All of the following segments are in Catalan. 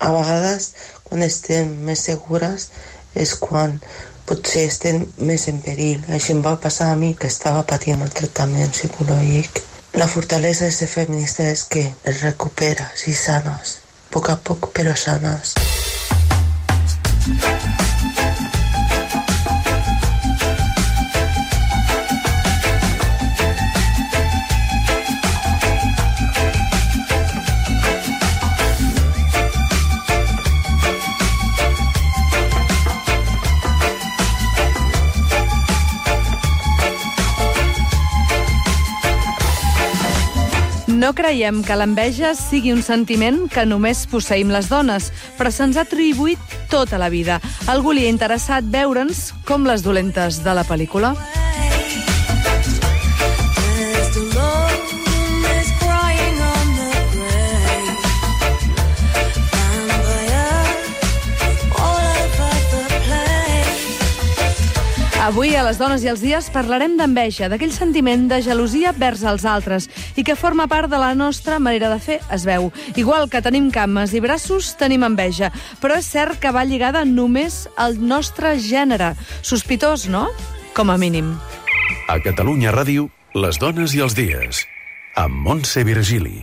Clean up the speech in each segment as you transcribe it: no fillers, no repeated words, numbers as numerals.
A vegades, quan estem més segures, és quan potser estem més en perill. Així em va passar a mi, que estava patint el tractament psicològic. La fortalesa de ser feminista és que es recuperes i sanes, a poc, però sanes. No creiem que l'enveja sigui un sentiment que només posseïm les dones, però se'ns ha atribuït tota la vida. Algú li ha interessat veure'ns com les dolentes de la pel·lícula. Avui, a Les dones i els dies, parlarem d'enveja, d'aquell sentiment de gelosia vers els altres i que forma part de la nostra manera de fer, es veu. Igual que tenim cames i braços, tenim enveja, però és cert que va lligada només al nostre gènere. Sospitós, no? Com a mínim. A Catalunya Ràdio, Les dones i els dies, amb Montse Virgili.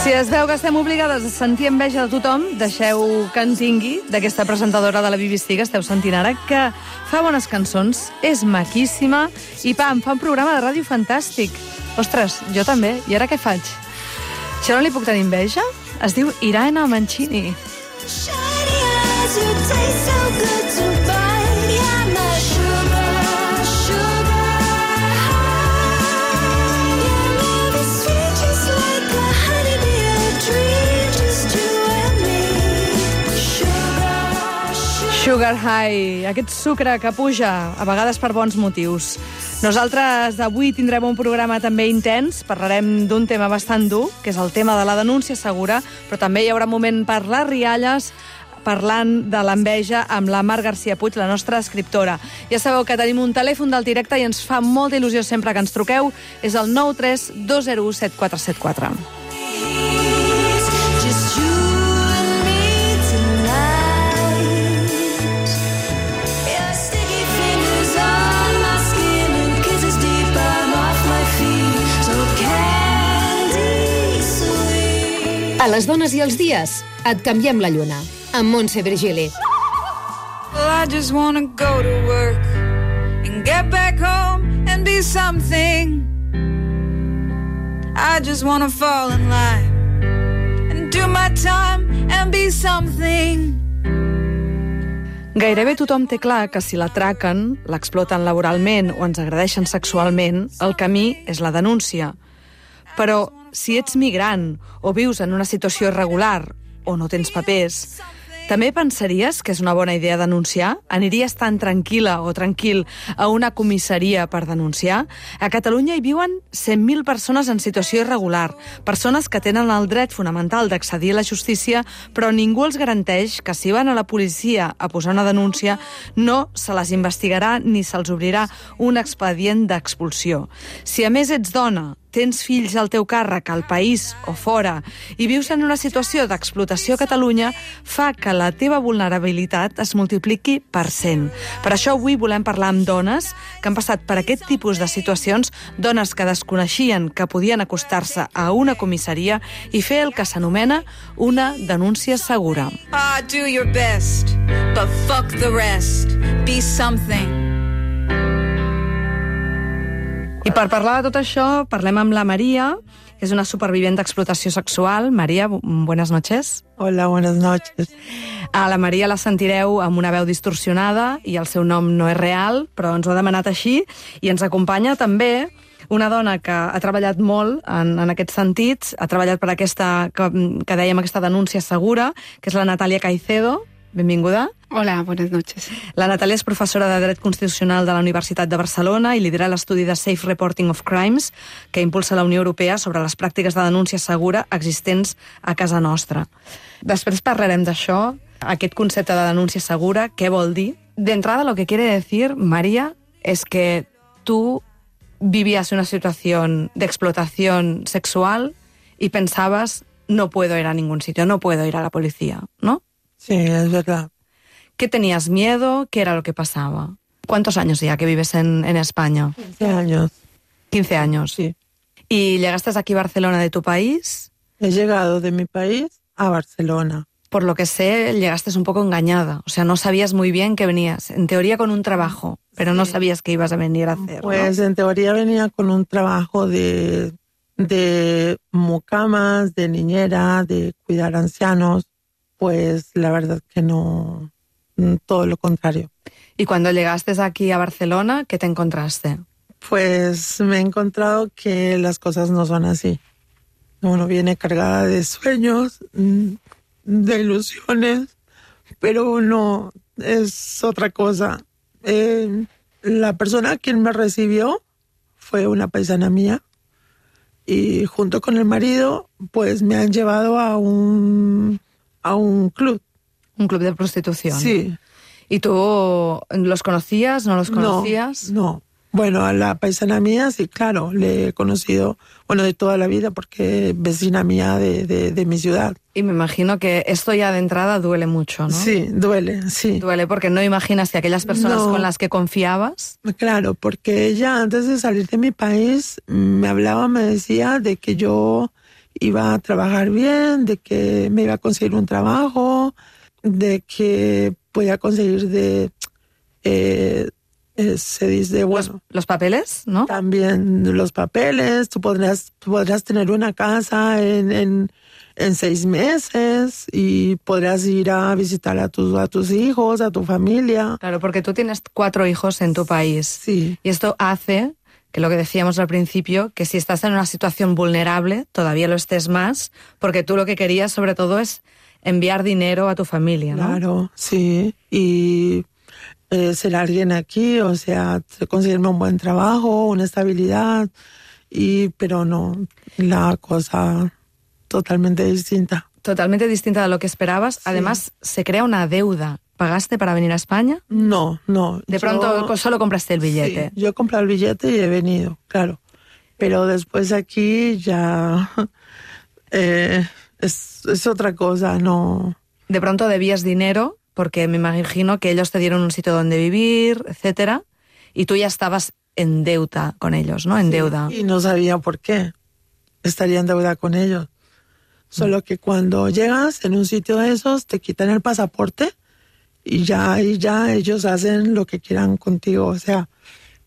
Si es veu que estem obligades a sentir enveja de tothom, deixeu que en tingui d'aquesta presentadora de la BBC que esteu sentint ara, que fa bones cançons, és maquíssima i, pam, fa un programa de ràdio fantàstic. Ostres, jo també. I ara què faig? Jo no li puc tenir enveja? Es diu Irene Mancini. Sugar High, aquest sucre que puja, a vegades per bons motius. Nosaltres avui tindrem un programa també intens, parlarem d'un tema bastant dur, que és el tema de la denúncia segura, però també hi haurà un moment per les rialles, parlant de l'enveja amb la Mar García Puig, la nostra escriptora. Ja sabeu que tenim un telèfon del directe i ens fa molta il·lusió sempre que ens truqueu. És el 93 201 7474. A Les dones i els dies, et canviem la lluna, amb Montse Virgili. I just wanna go to work and get back home and be something. I just wanna fall in line and do my time and be something. Gairebé tothom té clar que si l'atraquen, l'exploten laboralment o ens agredeixen sexualment, el camí és la denúncia. Però si ets migrant o vius en una situació irregular o no tens papers, també pensaries que és una bona idea denunciar? Aniries tan tranquil·la o tranquil a una comissaria per denunciar? A Catalunya hi viuen 100.000 persones en situació irregular, persones que tenen el dret fonamental d'accedir a la justícia, però ningú els garanteix que si van a la policia a posar una denúncia no se les investigarà ni se'ls obrirà un expedient d'expulsió. Si a més ets dona, tens fills al teu càrrec al país o fora i vius en una situació d'explotació a Catalunya, fa que la teva vulnerabilitat es multipliqui per 100. Per això avui volem parlar amb dones que han passat per aquest tipus de situacions, dones que desconeixien que podien acostar-se a una comissaria i fer el que s'anomena una denúncia segura. Do your best, but fuck the rest. Be something. I per parlar de tot això, parlem amb la Maria, que és una supervivent d'explotació sexual. Maria, buenas noches. Hola, buenas noches. A la Maria la sentireu amb una veu distorsionada i el seu nom no és real, però ens ho ha demanat així. I ens acompanya també una dona que ha treballat molt en aquests sentits, ha treballat per aquesta, que dèiem, aquesta denúncia segura, que és la Natàlia Caicedo. Benvinguda. Hola, buenas noches. La Natàlia és professora de Dret Constitucional de la Universitat de Barcelona i lidera l'estudi de Safe Reporting of Crimes que impulsa la Unió Europea sobre les pràctiques de denúncia segura existents a casa nostra. Després parlarem d'això, aquest concepte de denúncia segura, què vol dir. D'entrada, lo que quiere decir, María, es que tú vivías una situación de explotación sexual y pensabas, no puedo ir a ningún sitio, no puedo ir a la policía, ¿no? Sí, es verdad. ¿Qué tenías miedo? ¿Qué era lo que pasaba? ¿Cuántos años ya que vives en España? 15 años. 15 años. Sí. ¿Y llegaste aquí a Barcelona de tu país? He llegado de mi país a Barcelona. Por lo que sé, llegaste un poco engañada. O sea, no sabías muy bien que venías. En teoría con un trabajo, pero no sabías qué ibas a venir a hacer, Pues ¿no? En teoría venía con un trabajo de mucamas, de niñera, de cuidar ancianos. Pues la verdad que no, todo lo contrario. Y cuando llegaste aquí a Barcelona, ¿qué te encontraste? Pues me he encontrado que las cosas no son así. Uno viene cargada de sueños, de ilusiones, pero no, es otra cosa. La persona quien me recibió fue una paisana mía y junto con el marido pues me han llevado a un club. Un club de prostitución. Sí. ¿Y tú los conocías? ¿No los conocías? No. Bueno, a la paisana mía, sí, claro, le he conocido, de toda la vida, porque es vecina mía de mi ciudad. Y me imagino que esto ya de entrada duele mucho, ¿no? Sí, duele, sí. Duele porque no imaginas que aquellas personas con las que confiabas... Claro, porque ella antes de salir de mi país me hablaba, me decía de que yo iba a trabajar bien, de que me iba a conseguir un trabajo, de que podía conseguir se dice, bueno... Los papeles, ¿no? También los papeles, tú podrás tener una casa en 6 meses y podrás ir a visitar a tus hijos, a tu familia. Claro, porque tú tienes 4 hijos en tu país. Sí. Y esto hace, que lo que decíamos al principio, que si estás en una situación vulnerable, todavía lo estés más, porque tú lo que querías sobre todo es enviar dinero a tu familia, ¿no? Claro, sí. Y... ser alguien aquí, o sea, conseguirme un buen trabajo, una estabilidad, pero no, la cosa totalmente distinta. Totalmente distinta de lo que esperabas. Sí. Además, se crea una deuda. ¿Pagaste para venir a España? No. De pronto solo compraste el billete. Sí, yo he comprado el billete y he venido, claro. Pero después aquí ya es otra cosa, no. De pronto debías dinero, porque me imagino que ellos te dieron un sitio donde vivir, etcétera, y tú ya estabas en deuda con ellos, ¿no? En deuda. Y no sabía por qué estaría en deuda con ellos. Solo que cuando llegas en un sitio de esos, te quitan el pasaporte y ya ellos hacen lo que quieran contigo, o sea,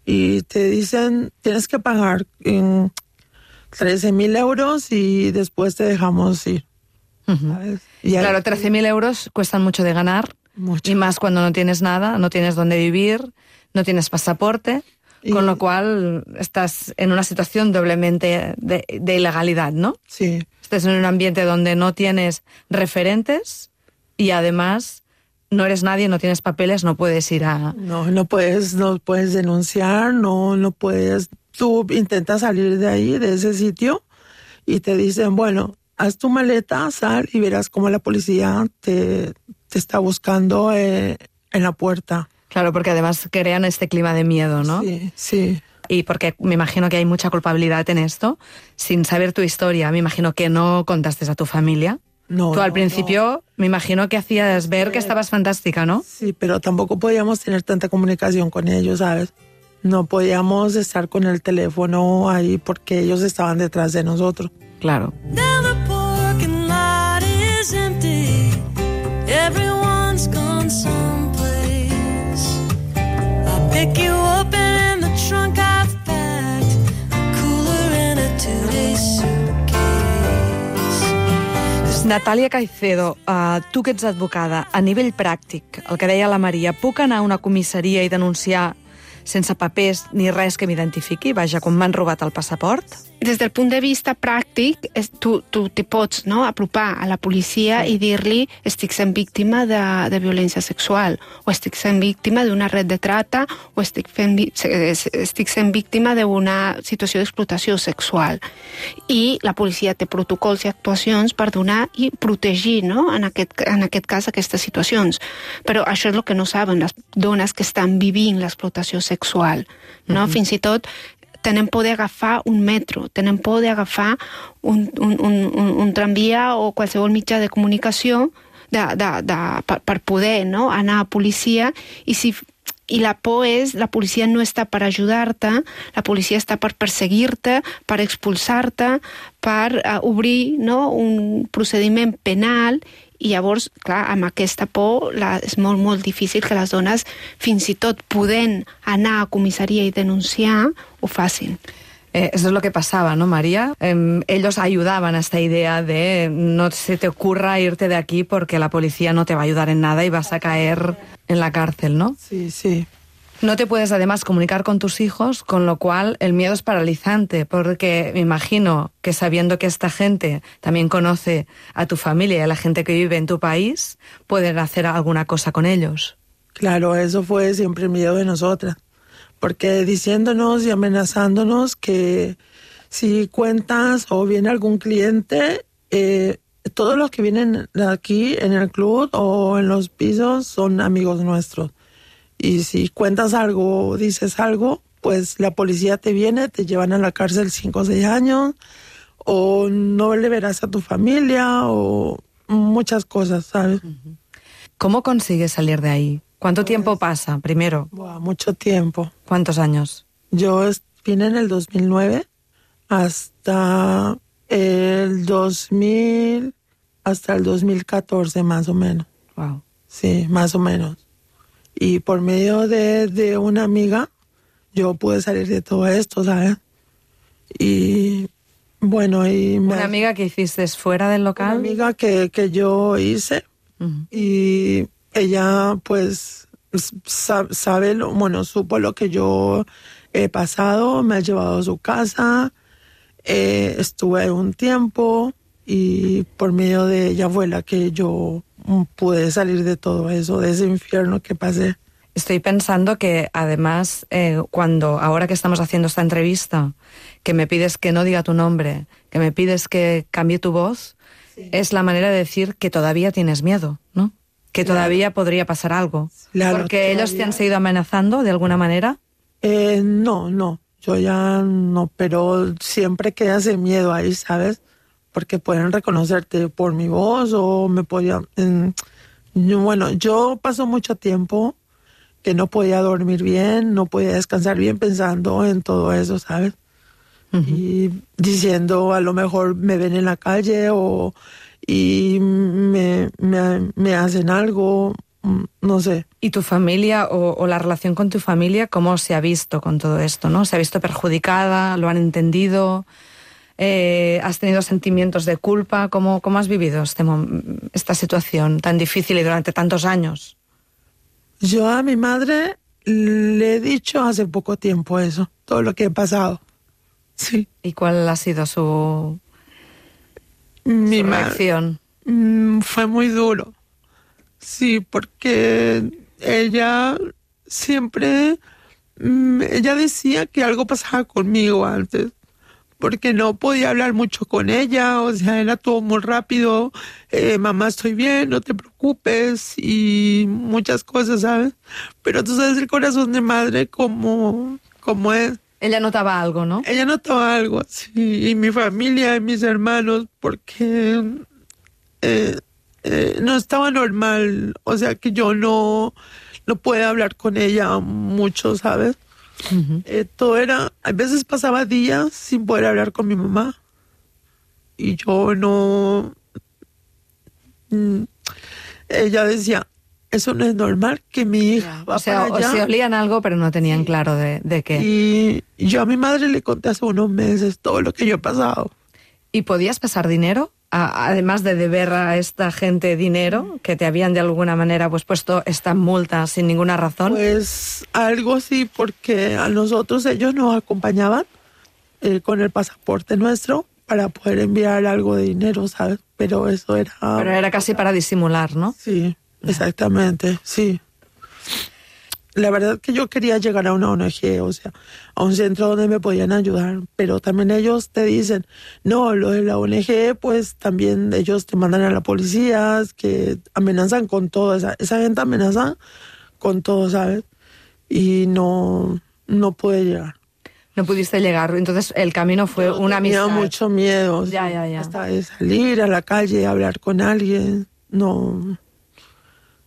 y te dicen, tienes que pagar 13.000 euros y después te dejamos ir. Uh-huh. Claro, 13.000 euros cuestan mucho de ganar. Mucho. Y más cuando no tienes nada, no tienes dónde vivir, no tienes pasaporte, con lo cual estás en una situación doblemente de ilegalidad, ¿no? Sí. Estás en un ambiente donde no tienes referentes y además no eres nadie, no tienes papeles, no puedes ir a... No puedes denunciar, no puedes... Tú intentas salir de ahí, de ese sitio, y te dicen, bueno, haz tu maleta, sal y verás cómo la policía te está buscando en la puerta. Claro, porque además crean este clima de miedo, ¿no? Sí, sí. Y porque me imagino que hay mucha culpabilidad en esto. Sin saber tu historia, me imagino que no contaste a tu familia. No. Tú al principio me imagino que hacías ver que estabas fantástica, ¿no? Sí, pero tampoco podíamos tener tanta comunicación con ellos, ¿sabes? No podíamos estar con el teléfono ahí porque ellos estaban detrás de nosotros. Claro. Everyone's gone someplace. I'll pick you up and in the trunk I've packed Natàlia Caicedo, tu que ets advocada, a nivell pràctic, el que deia la Maria, puc anar a una comissaria i denunciar sense papers ni res que m'identifiqui? Vaja, quan m'han robat el passaport? Des del punt de vista pràctic, tu te pots apropar a la policia i dir-li estic sent víctima de violència sexual, o estic sent víctima d'una red de trata, o estic sent víctima d'una situació d'explotació sexual. I la policia té protocols i actuacions per donar i protegir, no? en aquest cas, aquestes situacions. Però això és el que no saben les dones que estan vivint l'explotació sexual. No? Fins i tot tenen por d'agafar un metro, tenen por d'agafar un tramvia o qualsevol mitjà de comunicació per poder anar a policia, i la por és, la policia no està per ajudar-te, la policia està per perseguir-te, per expulsar-te, per obrir un procediment penal. I llavors, clar, amb aquesta por és molt, molt difícil que les dones, fins i tot podent anar a comissaria i denunciar, ho facin. Eso es lo que pasaba, ¿no, María? Ellos ayudaban a esta idea de no se te ocurra irte de aquí porque la policía no te va a ayudar en nada y vas a caer en la cárcel, ¿no? Sí, sí. No te puedes además comunicar con tus hijos, con lo cual el miedo es paralizante, porque me imagino que sabiendo que esta gente también conoce a tu familia y a la gente que vive en tu país, pueden hacer alguna cosa con ellos. Claro, eso fue siempre el miedo de nosotras, porque diciéndonos y amenazándonos que si cuentas o viene algún cliente, todos los que vienen aquí en el club o en los pisos son amigos nuestros. Y si cuentas algo o dices algo, pues la policía te viene, te llevan a la cárcel 5 o 6 años, o no le verás a tu familia, o muchas cosas, ¿sabes? ¿Cómo consigues salir de ahí? ¿Cuánto tiempo pasa, primero? Mucho tiempo. ¿Cuántos años? Yo vine en el 2009 hasta el 2014, más o menos. Wow. Sí, más o menos. Y por medio de una amiga, yo pude salir de todo esto, ¿sabes? Y bueno, ¿Una amiga que hiciste fuera del local? Una amiga que yo hice. Y ella, pues, supo lo que yo he pasado, me ha llevado a su casa, estuve un tiempo y por medio de ella fue la que yo pude salir de todo eso, de ese infierno que pasé. Estoy pensando que además, ahora que estamos haciendo esta entrevista, que me pides que no diga tu nombre, que me pides que cambie tu voz, sí, es la manera de decir que todavía tienes miedo, ¿no? Que todavía podría pasar algo. Claro, porque todavía. ¿Ellos te han seguido amenazando de alguna manera? No, yo ya no, pero siempre queda ese miedo ahí, ¿sabes? Porque pueden reconocerte por mi voz o me podían... Bueno, yo paso mucho tiempo que no podía dormir bien, no podía descansar bien pensando en todo eso, ¿sabes? Y diciendo, a lo mejor me ven en la calle y me hacen algo, no sé. ¿Y tu familia o la relación con tu familia, cómo se ha visto con todo esto, no? ¿Se ha visto perjudicada? ¿Lo han entendido? ¿Has tenido sentimientos de culpa? ¿Cómo has vivido esta situación tan difícil y durante tantos años? Yo a mi madre le he dicho hace poco tiempo eso, todo lo que he pasado. Sí. ¿Y cuál ha sido su reacción? Fue muy duro. Sí, porque ella siempre... ella decía que algo pasaba conmigo antes, porque no podía hablar mucho con ella, o sea, era todo muy rápido, mamá, estoy bien, no te preocupes, y muchas cosas, ¿sabes? Pero tú sabes el corazón de madre como es. Ella notaba algo, ¿no? Ella notaba algo, sí, y mi familia y mis hermanos, porque no estaba normal, o sea, que yo no puedo hablar con ella mucho, ¿sabes? Todo era, a veces pasaba días sin poder hablar con mi mamá y yo no, ella decía, eso no es normal, que mi hija va para allá. O se olían algo pero no tenían claro de qué. Y yo a mi madre le conté hace unos meses todo lo que yo he pasado. ¿Y podías pasar dinero además de deber a esta gente dinero, que te habían de alguna manera pues puesto esta multa sin ninguna razón? Pues algo sí, porque a nosotros ellos nos acompañaban con el pasaporte nuestro para poder enviar algo de dinero, ¿sabes? Pero eso era... Pero era casi para disimular, ¿no? Sí, exactamente, sí. La verdad que yo quería llegar a una ONG, o sea, a un centro donde me podían ayudar, pero también ellos te dicen, no, lo de la ONG, pues también ellos te mandan a la policía, que amenazan con todo, esa gente amenaza con todo, ¿sabes? Y no pude llegar. No pudiste llegar, entonces el camino fue una amistad. Tenía mucho miedo, Ya. hasta de salir a la calle, hablar con alguien, no...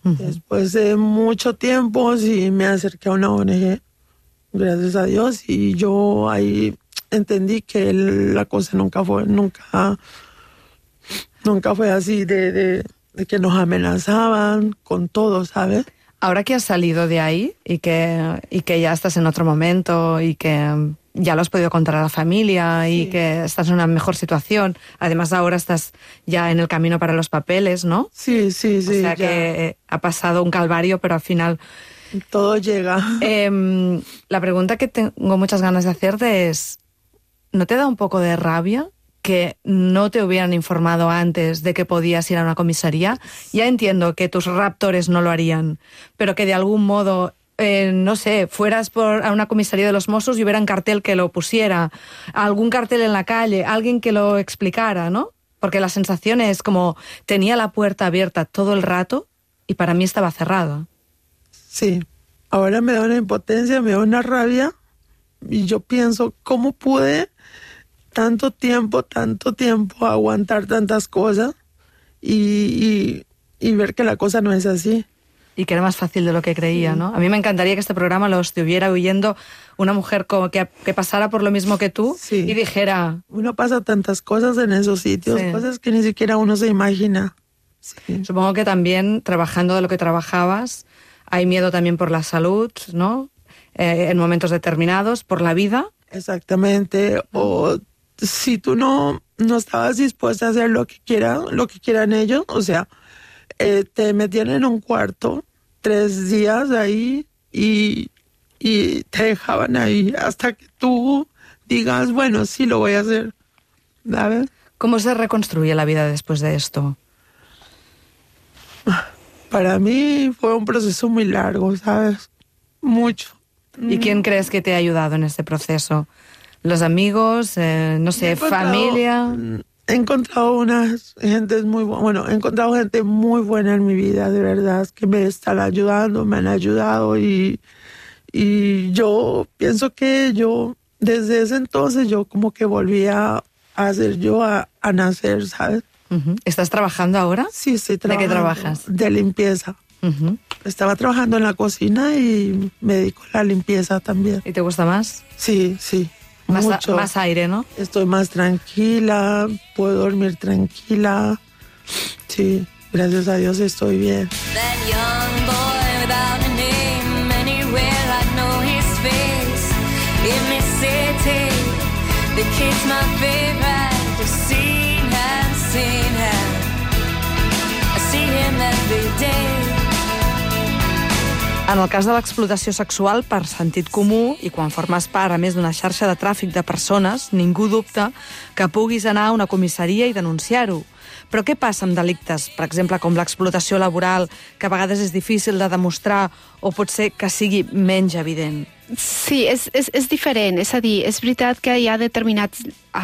Después de mucho tiempo sí me acerqué a una ONG, gracias a Dios, y yo ahí entendí que la cosa nunca fue así de que nos amenazaban con todo, ¿sabes? Ahora que has salido de ahí y que ya estás en otro momento y que ya lo has podido contar a la familia y que estás en una mejor situación, además ahora estás ya en el camino para los papeles, ¿no? Sí. O sea ya. que ha pasado un calvario, pero al final... Todo llega. La pregunta que tengo muchas ganas de hacerte es, ¿no te da un poco de rabia que no te hubieran informado antes de que podías ir a una comisaría? Ya entiendo que tus raptores no lo harían, pero que de algún modo... no sé, fueras a una comisaría de los Mossos y hubiera un cartel que lo pusiera, algún cartel en la calle, alguien que lo explicara, ¿no? Porque la sensación es como tenía la puerta abierta todo el rato y para mí estaba cerrada. Sí, ahora me da una impotencia, me da una rabia y yo pienso, ¿cómo pude tanto tiempo aguantar tantas cosas y ver que la cosa no es así? Y que era más fácil de lo que creía, ¿no? A mí me encantaría que este programa lo estuviera oyendo una mujer como que pasara por lo mismo que tú y dijera... Uno pasa tantas cosas en esos sitios, cosas que ni siquiera uno se imagina. Sí. Supongo que también, trabajando de lo que trabajabas, hay miedo también por la salud, ¿no? En momentos determinados, por la vida. Exactamente. O si tú no estabas dispuesta a hacer lo que quieran ellos, o sea... te metían en un cuarto 3 días ahí y te dejaban ahí hasta que tú digas, bueno, sí lo voy a hacer, ¿sabes? ¿Cómo se reconstruye la vida después de esto? Para mí fue un proceso muy largo, ¿sabes? Mucho. ¿Y quién crees que te ha ayudado en este proceso? ¿Los amigos? No sé, familia... He encontrado gente muy buena en mi vida, de verdad, que me están ayudando, me han ayudado y yo pienso que yo, desde ese entonces, yo como que volví a hacer yo, a nacer, ¿sabes? ¿Estás trabajando ahora? Sí, estoy trabajando. ¿De qué trabajas? De limpieza. Estaba trabajando en la cocina y me dedico a la limpieza también. ¿Y te gusta más? Sí. Más aire, ¿no? Estoy más tranquila, puedo dormir tranquila. Sí, gracias a Dios estoy bien. That young boy without a name, anywhere I know his face. In this city, the kid's my favorite. I've seen him. I see him every day. En el cas de l'explotació sexual, per sentit comú, i quan formes part, a més d'una xarxa de tràfic de persones, ningú dubta que puguis anar a una comissaria i denunciar-ho. Però què passa amb delictes, per exemple, com l'explotació laboral, que a vegades és difícil de demostrar o pot ser que sigui menys evident? Sí, és diferent. És a dir, és veritat que hi ha determinats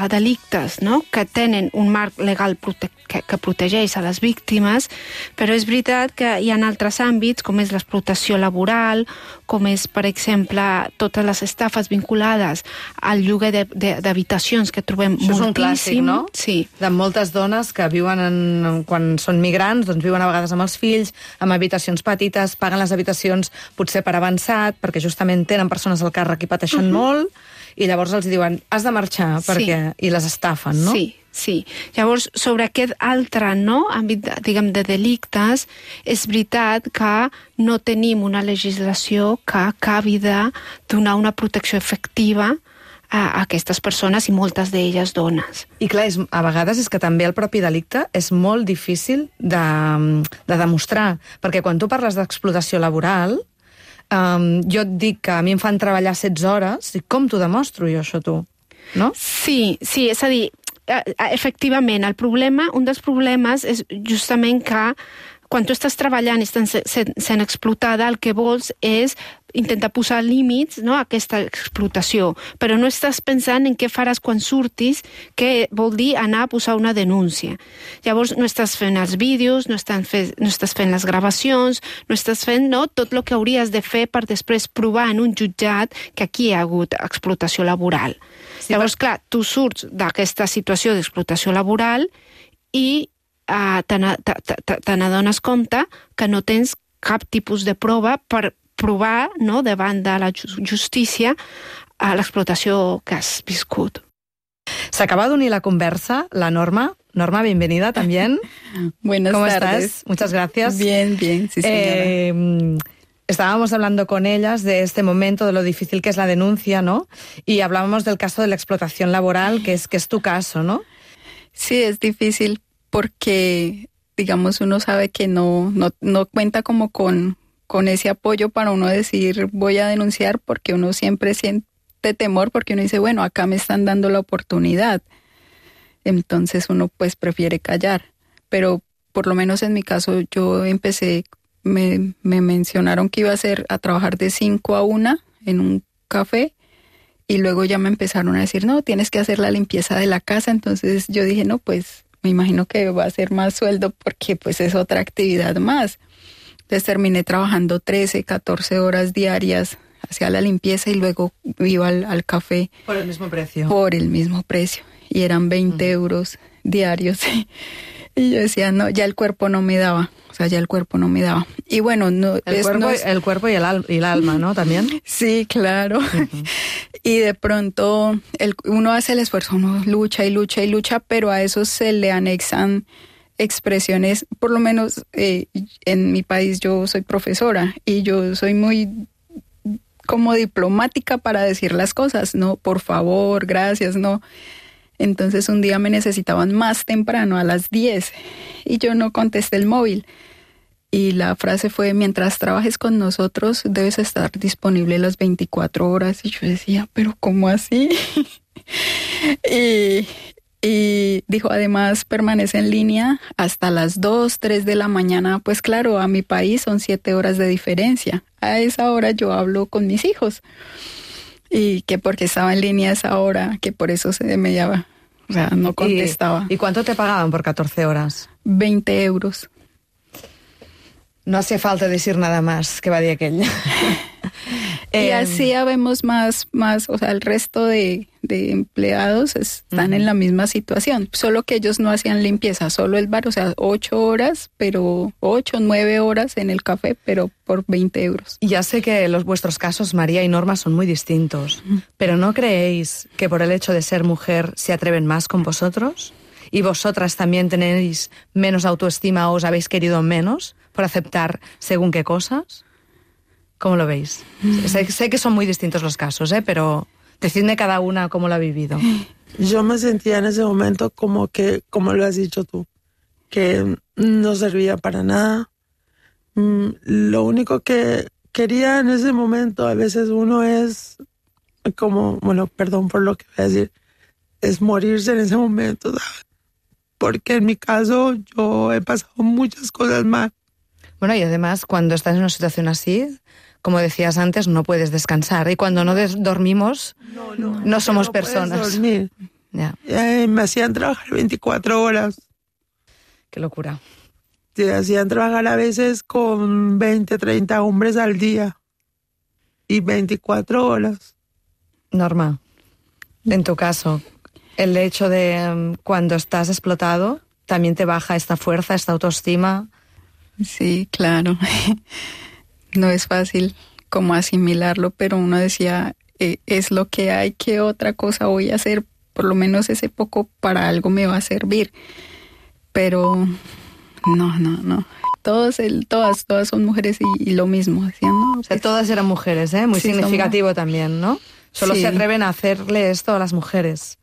delictes, no?, que tenen un marc legal que protegeix a les víctimes, però és veritat que hi ha altres àmbits, com és l'explotació laboral, com és, per exemple, totes les estafes vinculades al lloguer d'habitacions, que trobem moltíssim. Això és un clàssic, no? Sí. De moltes dones que viuen, quan són migrants, doncs viuen a vegades amb els fills, amb habitacions petites, paguen les habitacions potser per avançat, perquè justament tenen persones al càrrec i pateixen molt, i llavors els diuen, has de marxar, perquè... I les estafen, no? Sí. Llavors, sobre aquest altre àmbit, diguem, de delictes, és veritat que no tenim una legislació que acabi de donar una protecció efectiva a aquestes persones, i moltes d'elles dones. I clar, a vegades és que també el propi delicte és molt difícil de demostrar, perquè quan tu parles d'explotació laboral, jo et dic que a mi em fan treballar 16 hores, i com t'ho demostro jo, això, tu? No? Sí, és a dir, efectivament, un dels problemes és justament que quan tu estàs treballant i estàs sent explotada, el que vols és intentar posar límits, no, a aquesta explotació, però no estàs pensant en què faràs quan surtis, que vol dir anar a posar una denúncia. Llavors no estàs fent els vídeos, no estàs fent les gravacions, no estàs fent tot el que hauries de fer per després provar en un jutjat que aquí hi ha hagut explotació laboral. Sí, llavors, clar, tu surts d'aquesta situació d'explotació laboral i te n'adones compte que no tens cap tipus de prova per provar, no, davant de la justícia l'explotació que has viscut. S'acaba d'unir la conversa la Norma. Norma, bienvenida también. Buenas ¿Cómo tardes. estás? Muchas gracias. Bien, sí, señora. Estábamos hablando con ellas de este momento, de lo difícil que es la denuncia, ¿no? Y hablábamos del caso de la explotación laboral, que es tu caso, ¿no? Sí, es difícil porque, digamos, uno sabe que no cuenta como con ese apoyo para uno decir voy a denunciar, porque uno siempre siente temor, porque uno dice, bueno, acá me están dando la oportunidad. Entonces uno pues prefiere callar. Pero por lo menos en mi caso yo empecé, me mencionaron que iba a trabajar de 5 a 1 en un café, y luego ya me empezaron a decir, no, tienes que hacer la limpieza de la casa. Entonces yo dije, no, pues me imagino que va a ser más sueldo porque pues es otra actividad más. Entonces terminé trabajando 13, 14 horas diarias, hacía la limpieza y luego iba al café. ¿Por el mismo precio? Por el mismo precio. Y eran 20 euros diarios. Y yo decía, no, ya el cuerpo no me daba. O sea, ya el cuerpo no me daba. Y bueno, el cuerpo y el alma, ¿no? También. Sí, claro. Uh-huh. Y de pronto uno hace el esfuerzo, uno lucha y lucha y lucha, pero a eso se le anexan expresiones. Por lo menos en mi país yo soy profesora y yo soy muy como diplomática para decir las cosas, no, por favor, gracias, no. Entonces un día me necesitaban más temprano, a las 10, y yo no contesté el móvil. Y la frase fue, mientras trabajes con nosotros debes estar disponible las 24 horas. Y yo decía, ¿pero cómo así? Y dijo, además permanece en línea hasta las 2, 3 de la mañana. Pues claro, a mi país son 7 horas de diferencia. A esa hora yo hablo con mis hijos. Y que porque estaba en línea a esa hora, que por eso se me llama, o sea, no contestaba. ¿Y cuánto te pagaban por 14 horas? 20 euros. No hace falta decir nada más, que va de aquella. Y así habemos más, o sea, el resto de empleados están en la misma situación, solo que ellos no hacían limpieza, solo el bar, o sea, 8 horas, pero 8, 9 horas en el café, pero por 20 euros. Ya sé que vuestros casos, María y Norma, son muy distintos, pero ¿no creéis que por el hecho de ser mujer se atreven más con vosotros? ¿Y vosotras también tenéis menos autoestima o os habéis querido menos por aceptar según qué cosas? ¿Cómo lo veis? Sé que son muy distintos los casos, pero decidme cada una cómo lo ha vivido. Yo me sentía en ese momento como lo has dicho tú, que no servía para nada. Lo único que quería en ese momento, a veces uno es como, bueno, perdón por lo que voy a decir, es morirse en ese momento, ¿sabes? Porque en mi caso yo he pasado muchas cosas mal. Bueno, y además cuando estás en una situación así, como decías antes, no puedes descansar. Y cuando no dormimos, no somos personas. Puedes dormir. Ya. Me hacían trabajar 24 horas. Qué locura. Te hacían trabajar a veces con 20, 30 hombres al día. Y 24 horas. Norma, en tu caso, el hecho de cuando estás explotado, ¿también te baja esta fuerza, esta autoestima? Sí, claro. No es fácil como asimilarlo, pero uno decía, es lo que hay, ¿qué otra cosa voy a hacer? Por lo menos ese poco para algo me va a servir. Pero no. Todas son mujeres y lo mismo, decían, ¿no? O sea, todas eran mujeres, Muy sí, significativo también, ¿no? Solo se atreven a hacerle esto a las mujeres,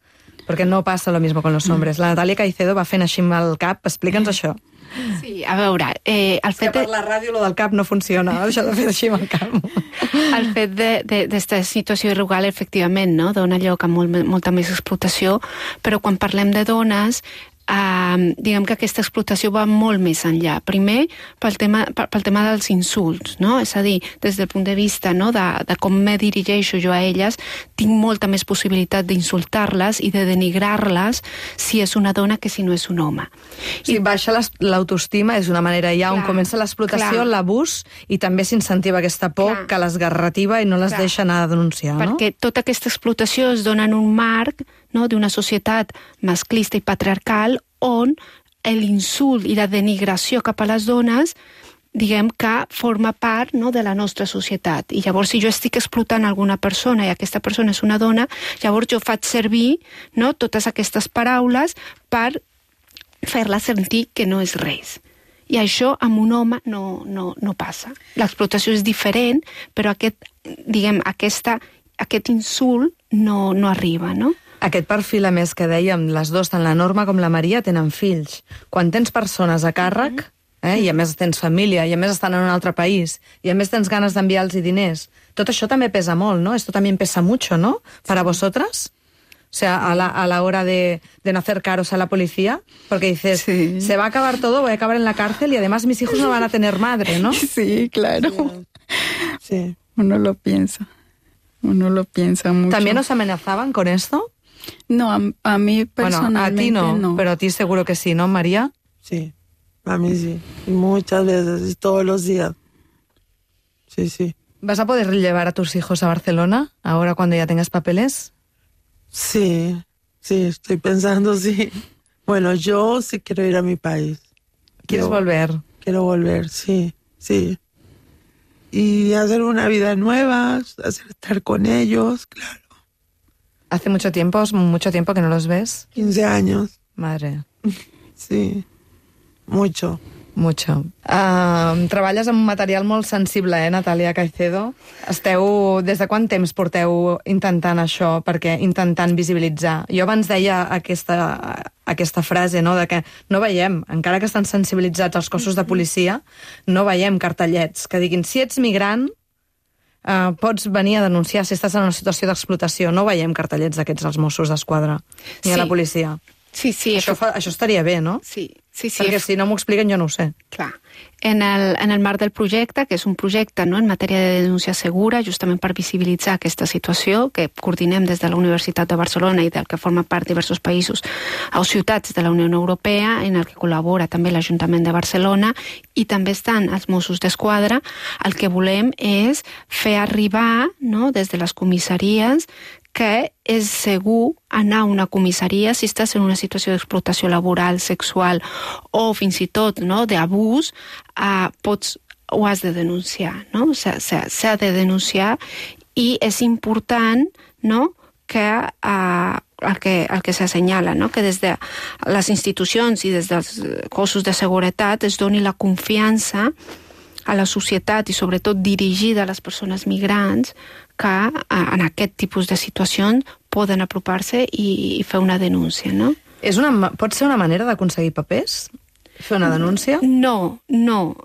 porque no pasa lo mismo con los hombres. La Natàlia Caicedo va fent així amb el cap. Explica'ns això. Sí, a veure... el fet per la ràdio lo del cap no funciona, això de fer així amb el cap. El fet d'esta situació irregular, efectivament, no? Dona lloc a molta més explotació, però quan parlem de dones, diguem que aquesta explotació va molt més enllà. Primer, pel tema dels insults, no? És a dir, des del punt de vista, no, de com me dirigeixo jo a elles, tinc molta més possibilitat d'insultar-les i de denigrar-les si és una dona que si no és un home. Si baixa l'autoestima és una manera ja on comença l'explotació, l'abús, i també s'incentiva aquesta por que l'esgarrativa i no les deixa anar a denunciar, no? Perquè tota aquesta explotació es dona en un marc, no, d'una societat masclista i patriarcal on l'insult i la denigració cap a les dones, diguem que forma part, no, de la nostra societat. I llavors, si jo estic explotant alguna persona i aquesta persona és una dona, llavors jo faig servir, no, totes aquestes paraules per fer-la sentir que no és res. I això amb un home no passa. L'explotació és diferent, però aquest insult no arriba, no? Aquest perfil, a més, que dèiem, les dues, tant la Norma com la Maria, tenen fills. Quan tens persones a càrrec, i a més tens família, i a més estan en un altre país, i a més tens ganes d'enviar-los diners, tot això també pesa molt, ¿no? Esto también pesa mucho, ¿no? Para vosotras. O sea, a la hora de no hacer caros a la policía, porque dices, se va a acabar todo, voy a acabar en la cárcel y además mis hijos no van a tener madre, ¿no? Sí, claro. Sí. Uno lo piensa mucho. ¿También os amenazaban con esto? No, a mí personalmente bueno, a ti no, pero a ti seguro que sí, ¿no, María? Sí, a mí sí. Y muchas veces, y todos los días. Sí. ¿Vas a poder llevar a tus hijos a Barcelona ahora cuando ya tengas papeles? Sí, estoy pensando, sí. Bueno, yo sí quiero ir a mi país. ¿Quieres volver? Quiero volver, sí. Y hacer una vida nueva, estar con ellos, claro. ¿Hace mucho tiempo que no los ves? 15 años. Madre. Sí, mucho. Treballes amb un material molt sensible, Natàlia Caicedo? Des de quant temps porteu intentant això, intentant visibilitzar? Jo abans deia aquesta frase, no?, de que no veiem, encara que estan sensibilitzats els cossos de policia, no veiem cartellets que diguin, si ets migrant, pots venir a denunciar si estàs en una situació d'explotació. No veiem cartellets d'aquests als Mossos d'Esquadra, ni a la policia. Sí. Això estaria bé, no? Sí. Perquè si no m'ho expliquen jo no ho sé. Clar. En el marc del projecte, que és un projecte, no, en matèria de denúncia segura, justament per visibilitzar aquesta situació, que coordinem des de la Universitat de Barcelona i del que forma part diversos països o ciutats de la Unió Europea, en el que col·labora també l'Ajuntament de Barcelona i també estan els Mossos d'Esquadra, el que volem és fer arribar, no, des de les comissaries, que és segur anar a una comissaria si estàs en una situació d'explotació laboral, sexual o fins i tot, no, d'abús, ho has de denunciar, no? S'ha de denunciar i és important, no, que el que s'assenyala, no, que des de les institucions i des dels cossos de seguretat es doni la confiança a la societat i sobretot dirigida a les persones migrants que en aquest tipus de situacions poden apropar-se i fer una denúncia, no? Pot ser una manera d'aconseguir papers? Fer una denúncia? No.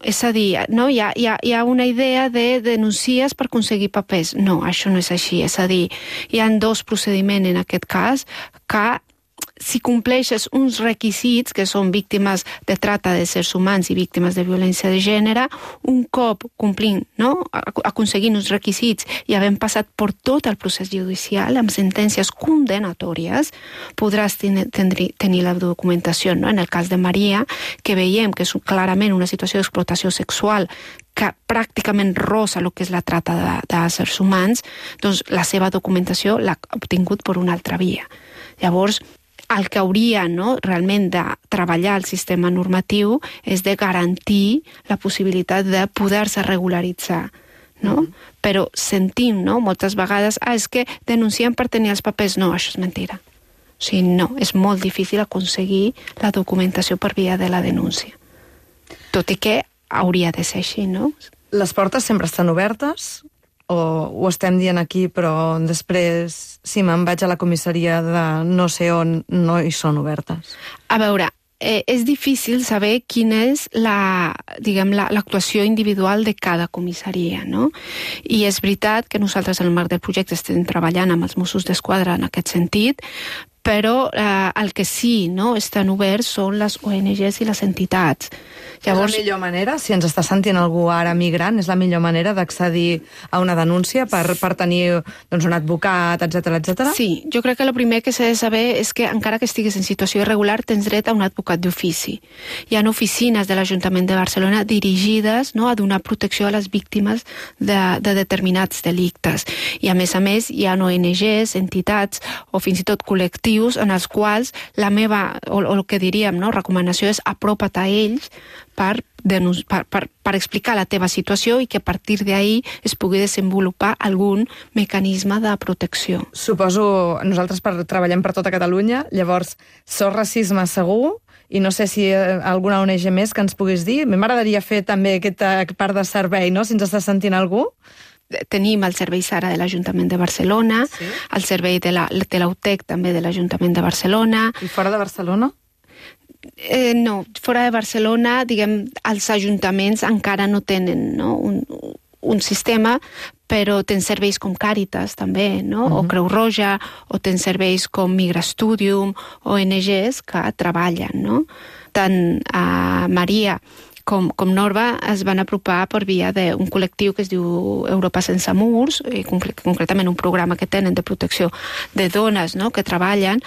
És a dir, no, hi ha una idea de denuncies per aconseguir papers. No, això no és així. És a dir, hi ha dos procediments en aquest cas que si compleixes uns requisits, que són víctimes de tracte d'éssers humans i víctimes de violència de gènere, un cop complint, no, aconseguint uns requisits i havent passat per tot el procés judicial amb sentències condenatòries, podràs tenir la documentació, no? En el cas de Maria, que veiem que és clarament una situació d'explotació sexual que pràcticament rosa el que és la tracta d'éssers humans, doncs la seva documentació l'ha obtingut per una altra via. Llavors, el que hauria, no, realment de treballar el sistema normatiu és de garantir la possibilitat de poder-se regularitzar, no? Però sentim, no, moltes vegades, és que denunciem per tenir els papers. No, això és mentira. O sigui, no, és molt difícil aconseguir la documentació per via de la denúncia. Tot i que hauria de ser així, no? Les portes sempre estan obertes ho estem dient aquí, però després, si me'n vaig a la comissaria de no sé on, no hi són obertes? A veure, és difícil saber quina és l'actuació individual de cada comissaria, no? I és veritat que nosaltres en el marc del projecte estem treballant amb els Mossos d'Esquadra en aquest sentit, però el que sí estan oberts són les ONGs i les entitats. Llavors, és la millor manera, si ens està sentint algú ara migrant, és la millor manera d'accedir a una denúncia per tenir un advocat, etc. Sí, jo crec que el primer que s'ha de saber és que encara que estiguis en situació irregular tens dret a un advocat d'ofici. Hi ha oficines de l'Ajuntament de Barcelona dirigides a donar protecció a les víctimes de determinats delictes. I a més, hi ha ONGs, entitats o fins i tot col·lectius en els quals la meva, o el que diríem, recomanació és apropa't a ells per explicar la teva situació i que a partir d'ahí es pugui desenvolupar algun mecanisme de protecció. Suposo, nosaltres treballem per tota Catalunya, llavors, SOS Racisme segur, i no sé si alguna ONG més que ens puguis dir. M'agradaria fer també aquesta part de servei, si ens està sentint algú. Tenim el servei SARA de l'Ajuntament de Barcelona, sí. El servei de l'UTEC també de l'Ajuntament de Barcelona. I fora de Barcelona? No, fora de Barcelona, els ajuntaments encara no tenen un sistema, però tens serveis com Càritas també, o Creu Roja, o tens serveis com Migrastudium, ONGs que treballen, Tant a Maria com Norba es van apropar per via d'un col·lectiu que es diu Europa Sense Murs, i concretament un programa que tenen de protecció de dones que treballen,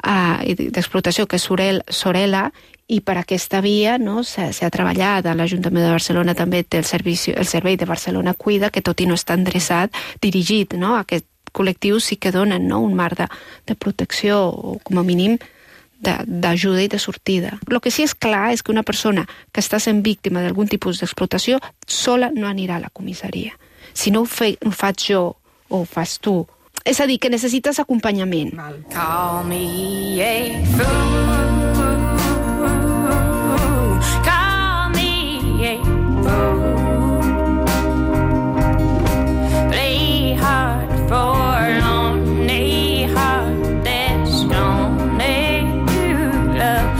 d'explotació, que és Sorela, i per aquesta via s'ha treballat. L'Ajuntament de Barcelona també té el servei de Barcelona Cuida, que tot i no està endreçat, dirigit a aquest col·lectiu, sí que donen un marc de protecció, o com a mínim d'ajuda i de sortida. El que sí és clar és que una persona que està sent víctima d'algun tipus d'explotació sola no anirà a la comissaria. Si no ho faig jo o ho fas tu. És a dir, que necessites acompanyament. Call me a fool. Call me a fool. Play hard for lonely heart that's lonely love.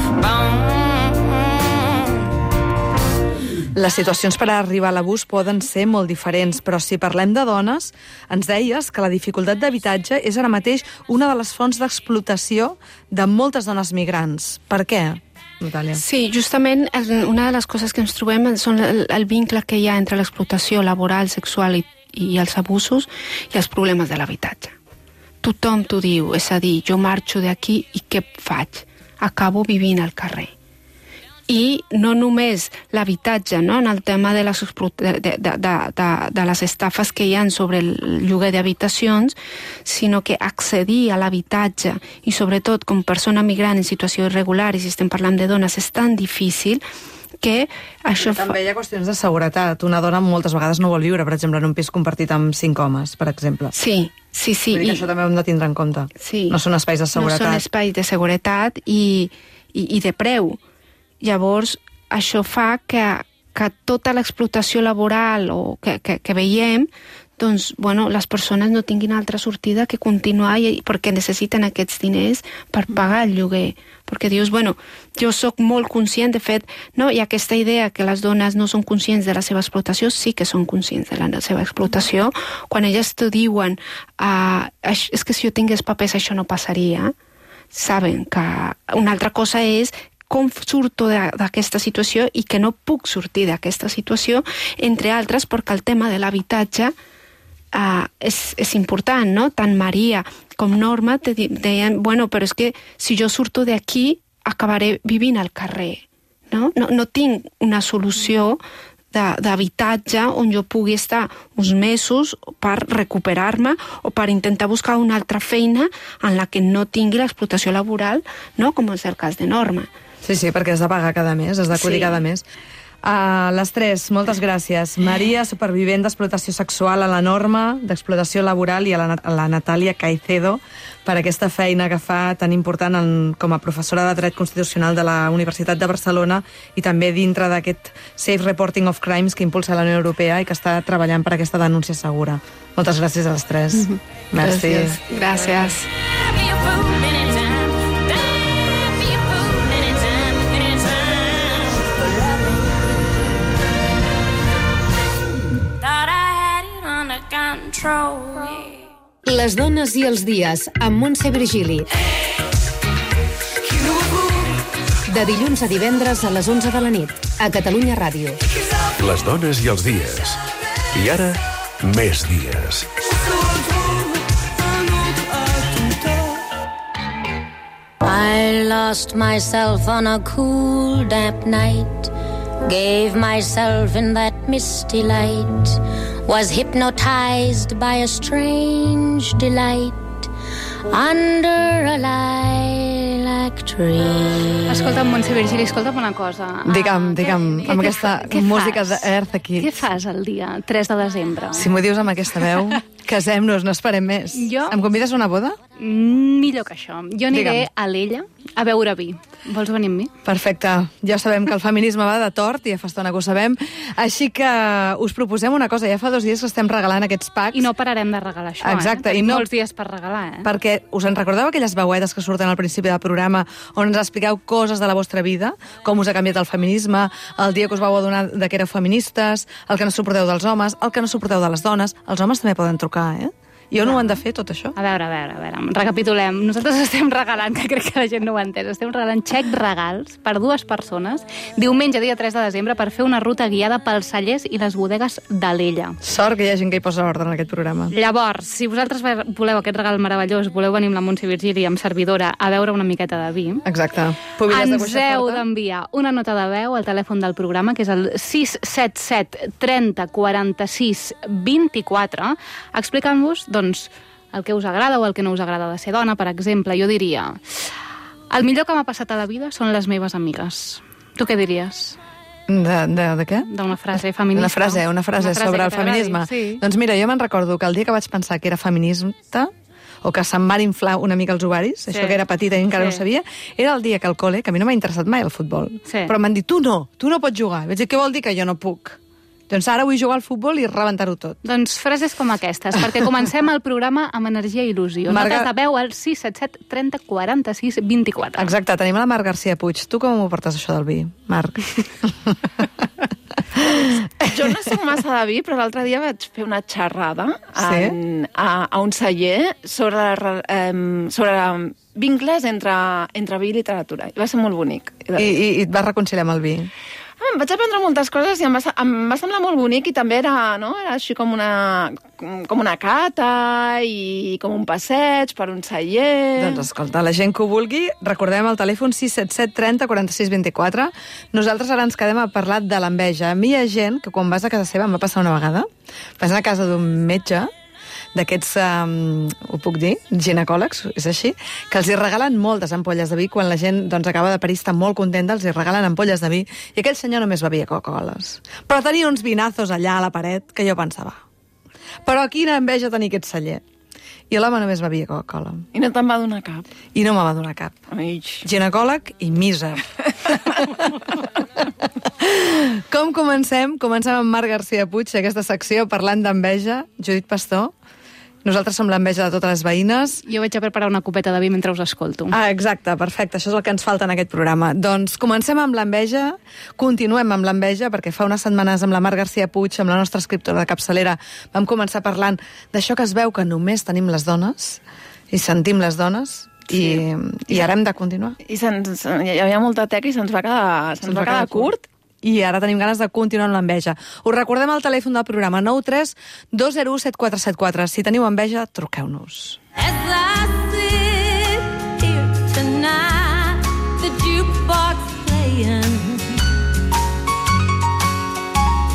Les situacions per arribar a l'abús poden ser molt diferents, però si parlem de dones, ens deies que la dificultat d'habitatge és ara mateix una de les fonts d'explotació de moltes dones migrants. Per què, Natàlia? Sí, justament una de les coses que ens trobem són el vincle que hi ha entre l'explotació laboral, sexual i els abusos i els problemes de l'habitatge. Tothom t'ho diu, és a dir, jo marxo d'aquí i què faig? Acabo vivint al carrer. I no només l'habitatge, en el tema de les estafes que hi ha sobre el lloguer d'habitacions, sinó que accedir a l'habitatge, i sobretot com persona migrant en situació irregular, i si estem parlant de dones, és tan difícil que això... També hi ha qüestions de seguretat. Una dona moltes vegades no vol viure, per exemple, en un pis compartit amb 5 homes, per exemple. Sí. Vull dir que això també ho hem de tindre en compte. Sí. No són espais de seguretat. No són espais de seguretat i de preu. Llavors, això fa que tota l'explotació laboral que veiem, doncs, les persones no tinguin altra sortida que continuar perquè necessiten aquests diners per pagar el lloguer. Perquè dius, jo sóc molt conscient, de fet, hi ha aquesta idea que les dones no són conscients de la seva explotació, sí que són conscients de la seva explotació. Quan elles t'ho diuen, és que si jo tingués papers això no passaria, saben que una altra cosa és com surto d'aquesta situació i que no puc sortir d'aquesta situació, entre altres perquè el tema de l'habitatge és important, no? Tant Maria com Norma deien, però és que si jo surto d'aquí acabaré vivint al carrer, no? No tinc una solució d'habitatge on jo pugui estar uns mesos per recuperar-me o per intentar buscar una altra feina en la que no tingui l'explotació laboral, no? Com és el cas de Norma. Sí, perquè has de pagar cada mes, has d'acudir cada mes. Les tres, moltes gràcies. Maria, supervivent d'explotació sexual a la Norma, d'explotació laboral, i a la Natàlia Caicedo, per aquesta feina que fa tan important com a professora de Dret Constitucional de la Universitat de Barcelona i també dintre d'aquest Safe Reporting of Crimes que impulsa la Unió Europea i que està treballant per aquesta denúncia segura. Moltes gràcies a les tres. Merci. Gràcies. Les dones i els dies, amb Montse Virgili. De dilluns a divendres a les 11 de la nit, a Catalunya Ràdio. Les dones i els dies. I ara, més dies. I lost myself on a cool, damp night. Gave myself in that misty light. Was hypnotized by a strange delight under a lilac tree. Escolta'm, Montse Virgili, escolta'm una cosa. Digue'm, amb aquesta música d'Earth aquí. Què fas el dia 3 de desembre? Si m'ho dius amb aquesta veu, casem-nos, no esperem més. Em convides a una boda? Millor que això. Jo aniré a l'Ella a beure vi. Vols venir amb mi? Perfecte. Ja sabem que el feminisme va de tort, i ja fa estona que ho sabem. Així que us proposem una cosa. Ja fa 2 dies que estem regalant aquests packs. I no pararem de regalar això, Exacte. Tenim molts dies per regalar, Perquè us en recordeu aquelles veuetes que surten al principi del programa on ens expliqueu coses de la vostra vida? Com us ha canviat el feminisme, el dia que us vau adonar de que éreu feministes, el que no suporteu dels homes, el que no suporteu de les dones. Els homes també poden trucar, Jo no ho han de fer, tot això? A veure, recapitulem. Nosaltres estem regalant, que crec que la gent no ho ha entès, estem regalant xec regals per 2 persones, diumenge, dia 3 de desembre, per fer una ruta guiada pels cellers i les bodegues de l'Ella. Sort que hi ha gent que hi posa ordre en aquest programa. Llavors, si vosaltres voleu aquest regal meravellós, voleu venir amb la Montse Virgili, amb servidora, a beure una miqueta de vi, Exacte. Ens heu d'enviar una nota de veu al telèfon del programa, que és el 677 30 46 24, explicant-vos, doncs, el que us agrada o el que no us agrada de ser dona. Per exemple, jo diria: el millor que m'ha passat a la vida són les meves amigues. Tu què diries? De què? D'una frase feminista. Una frase sobre el feminisme. Sí. Doncs mira, jo me'n recordo que el dia que vaig pensar que era feminista, o que se'm van inflar una mica els ovaris, això que era petita i encara no ho sabia, era el dia que al col·le, que a mi no m'ha interessat mai el futbol, però m'han dit, tu no pots jugar. Vaig dir, què vol dir que jo no puc? Doncs ara vull jugar al futbol i rebentar-ho tot. Doncs frases com aquestes, perquè comencem el programa amb energia i il·lusió. Notes de veu al 677 30 46 24. Exacte, tenim la Marc García Puig. Tu com ho portes, això del vi, Marc? Jo no soc massa de vi, però l'altre dia vaig fer una xerrada a un celler sobre vincles entre vi i literatura. I va ser molt bonic. I et vas reconciliar amb el vi? Em vaig aprendre moltes coses i em va semblar molt bonic, i també era així com una cata i com un passeig per un celler. Doncs escolta, la gent que ho vulgui, recordem el telèfon 677 30 46 24. Nosaltres ara ens quedem a parlar de l'enveja. A mi hi ha gent que quan vas a casa seva, em va passar una vegada, vas a casa d'un metge, d'aquests, ho puc dir, ginecòlegs, és així, que els hi regalen moltes ampolles de vi. Quan la gent acaba de parir, està molt contenta, els hi regalen ampolles de vi, i aquell senyor només bevia Coca-Coles. Però tenia uns vinazos allà a la paret que jo pensava, però quina enveja tenir aquest celler. I l'home només bevia Coca-Cola. I no te'n va donar cap? I no me va donar cap. Ginecòleg i míser. Com comencem? Comencem amb Marc García Puig, aquesta secció parlant d'enveja. Judit Pastor, nosaltres som l'enveja de totes les veïnes. Jo vaig a preparar una copeta de vi mentre us escolto. Exacte, perfecte, això és el que ens falta en aquest programa. Doncs comencem amb l'enveja, continuem amb l'enveja, perquè fa unes setmanes amb la Marc García Puig, amb la nostra escriptora de capçalera, vam començar parlant d'això que es veu que només tenim les dones, i sentim les dones, i ara hem de continuar. I hi havia molta teca i se'ns va quedar curt. I ara tenim ganes de continuar amb l'enveja. Us recordem el telèfon del programa 93 201 7474. Si teniu enveja, truqueu-nos. As I sit here tonight, the jukebox playing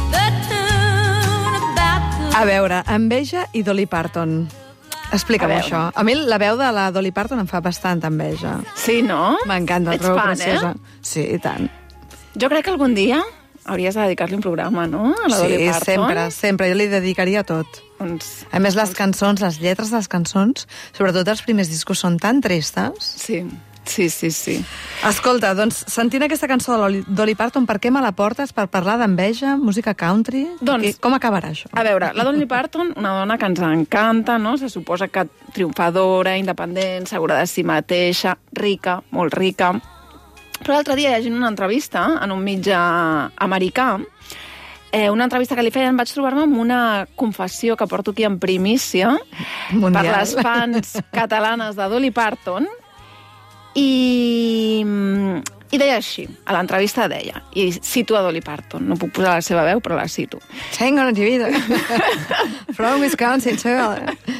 the tune about the... A veure, enveja i Dolly Parton. Explica'm això. A mi la veu de la Dolly Parton em fa bastant enveja. Sí, no? M'encanta, la trobo preciosa. Sí, i tant. Jo crec que algun dia hauries de dedicar-li un programa, no? A la Dolly Parton. sempre. Jo li dedicaria tot. A més, les cançons, les lletres de les cançons, sobretot els primers discos, són tan tristes. Sí. Escolta, doncs, sentint aquesta cançó de Dolly Parton, per què me la portes? Per parlar d'enveja, música country? Doncs, com acabarà això? A veure, la Dolly Parton, una dona que ens encanta, no? Se suposa que triomfadora, independent, segura de si mateixa, rica, molt rica. Però l'altre dia, llegint una entrevista en un mitjà americà, una entrevista que li feien, vaig trobar-me amb una confessió que porto aquí en primícia mundial per les fans catalanes de Dolly Parton, i deia així, a l'entrevista deia, i cito a Dolly Parton, no puc posar la seva veu, però la cito. Tengo una vida. From Wisconsin to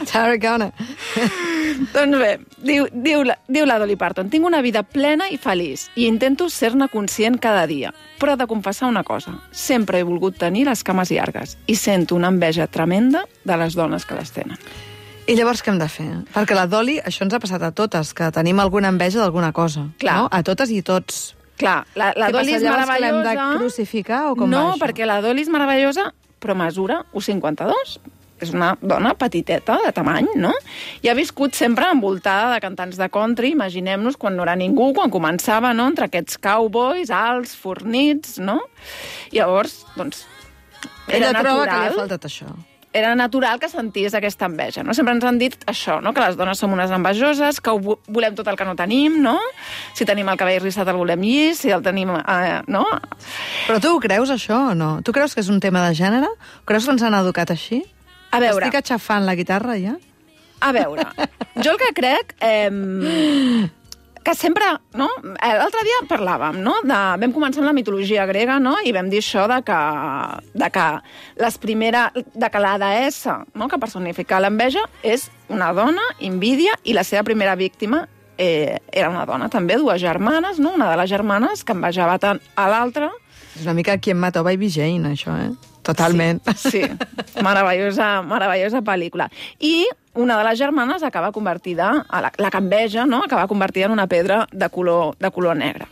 Tarragona. Doncs bé, diu la Dolly Parton, tinc una vida plena i feliç i intento ser-ne conscient cada dia, però he de confessar una cosa, sempre he volgut tenir les cames llargues i sento una enveja tremenda de les dones que les tenen. I llavors què hem de fer? Perquè la Dolly, això ens ha passat a totes, que tenim alguna enveja d'alguna cosa. Clar. No? A totes i tots. Clar, la Dolly és meravellosa. Que l'hem de crucificar o com va No, això? perquè la Dolly és meravellosa, però mesura 1,52. És una dona petiteta, de tamany, no? I ha viscut sempre envoltada de cantants de country, imaginem-nos quan no era ningú, quan començava, no?, entre aquests cowboys alts, fornits, no? Llavors, doncs, Ella troba que li ha faltat això. Era natural que sentís aquesta enveja, no? Sempre ens han dit això, no?, que les dones som unes envejoses, que volem tot el que no tenim, no? Si tenim el cabell rissat el volem llis, si el tenim... no? Però tu ho creus, això, o no? Tu creus que és un tema de gènere? Creus que ens han educat així? A veure... Estic aixafant la guitarra, ja? A veure, jo el que crec... que sempre, no? L'altre dia parlàvem, no? Vam començar amb la mitologia grega, no? I vam dir això de que la deessa, no?, que personifica l'enveja és una dona, Invídia, i la seva primera víctima era una dona també, dues germanes, no? Una de les germanes que envejava tant a l'altra. És una mica Quien mató a Baby Jane, això, Totalment. Sí. Meravellosa pel·lícula. I una de les germanes acaba convertida, la que enveja, no?, acaba convertida en una pedra de color negre.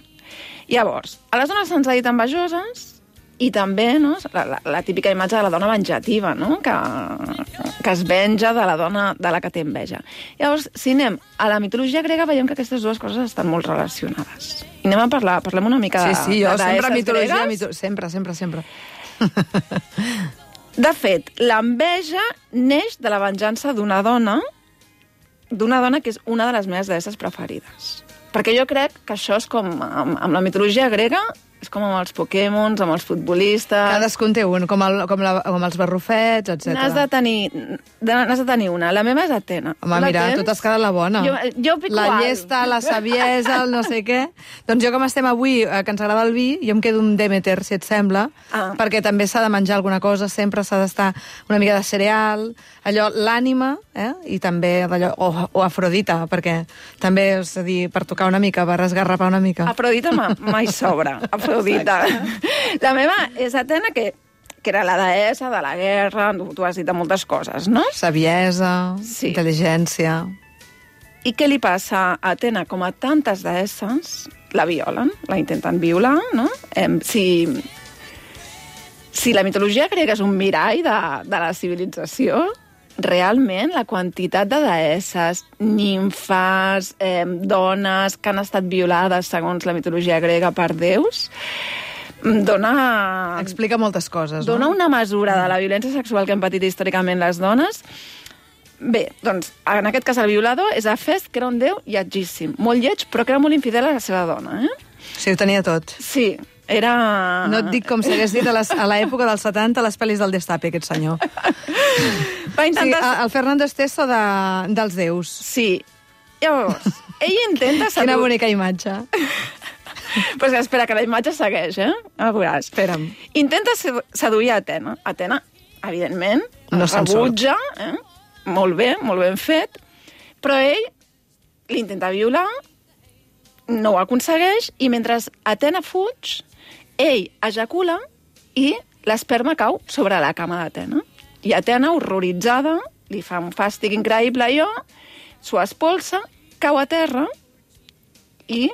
Llavors, a les dones se'ns ha dit envejoses i també, no?, la típica imatge de la dona venjativa, no?, que es venja de la dona de la que té enveja. Llavors, si anem a la mitologia grega, veiem que aquestes dues coses estan molt relacionades. I anem a parlem una mica de jo sempre mitologia, gregues. sempre. De fet, l'enveja neix de la venjança d'una dona que és una de les meves deesses preferides. Perquè jo crec que això és com, amb la mitologia grega, és com amb els Pokémons, amb els futbolistes... Cadascun té un, com els barrufets, etc. N'has de tenir una. La meva és Atena. Home, mira, tu t'has quedat la bona. Jo pico la llesta, la saviesa, el no sé què... Doncs jo, com estem avui, que ens agrada el vi, jo em quedo un Demeter, si et sembla, perquè també s'ha de menjar alguna cosa, sempre s'ha d'estar una mica de cereal, allò, l'ànima, i també allò, o Afrodita, perquè també, és a dir, per tocar una mica, per esgarrapar una mica. Afrodita mai sobra. Afrodita. La meva és Atena, que era la deessa de la guerra, tu has dit de moltes coses, no? Saviesa, sí. Intel·ligència... I què li passa a Atena? Com a tantes deesses, la violen, la intenten violar, no? Si la mitologia grega és un mirall de la civilització, realment la quantitat de deesses, nimfes, dones que han estat violades segons la mitologia grega per déus, explica moltes coses, no? Dona una mesura de la violència sexual que han patit històricament les dones. Bé, doncs, en aquest cas el violador és Hefest, que era un déu lletgíssim, molt lleig, però que era molt infidel a la seva dona, Sí, ho tenia tot. Sí, era... No et dic com s'hagués dit a l'època dels 70 les pel·lis del Destape, aquest senyor. Va intentar... Sí, el Fernando Esteso dels déus. Sí. Llavors, ell intenta... Quina bonica imatge. Pues espera, que la imatge segueix, A veure, espera'm. Intenta seduir a Atena. Atena, evidentment, no rebutja, molt ben fet, però ell l'intenta violar, no ho aconsegueix, i mentre Atena fuig, ell ejacula i l'esperma cau sobre la cama d'Atena. I Atena, horroritzada, li fa un fàstic increïble allò, s'ho espolsa, cau a terra i